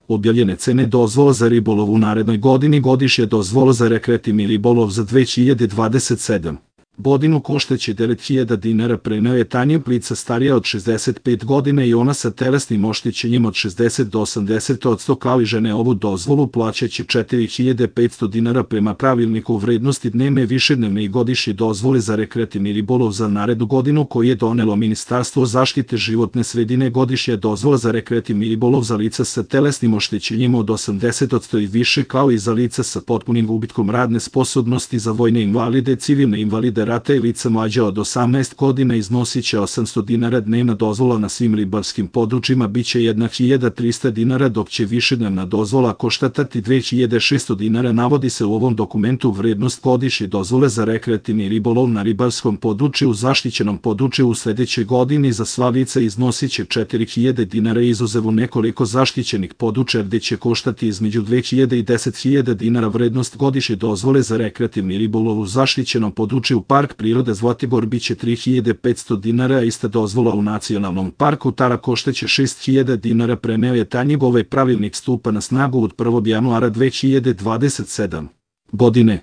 Objavljene cene dozvola za ribolov u narednoj godini. Godišnje dozvola za rekreativni ribolov za 2027. godinu koštaće 9.000 dinara. Preneo je Tanja Plica, starija od 65 godina i ona sa telesnim oštećenjem od 60 do 80%, kao i žene. Ovu dozvolu plaćaće 4.500 dinara prema pravilniku vrednosti dnevne, višednevne i godišnje dozvole za rekreativni ribolov za narednu godinu koji je donelo Ministarstvo zaštite životne sredine. Godišnja dozvola za rekreativni ribolov za lica sa telesnim oštećenjem od 80% i više, kao i za lica sa potpunim gubitkom radne sposobnosti, za vojne invalide, civilne invalide rata i lica mlađa od 18 godina iznosiće 800 dinara. Dnevna dozvola na svim ribarskim područjima biće 1.300 dinara, dok će višednevna dozvola koštati 2.600 dinara. Navodi se u ovom dokumentu vrednost godišnje dozvole za rekreativni ribolov na ribarskom području u zaštićenom području u sledećoj godini za sva lica iznosiće 4.000 dinara, izuzev u nekoliko zaštićenih područja gde će koštati između 2.000 i 10.000 dinara. Vrednost godišnje dozvole za rekreativni ribolov u zaštićenom području Park prirode Zlatibor biće 3.500 dinara, a ista dozvola u Nacionalnom parku Tara koštaće 6.000 dinara. Preneo je Tanja. Ovaj pravilnik stupa na snagu od 1. januara 2027. godine.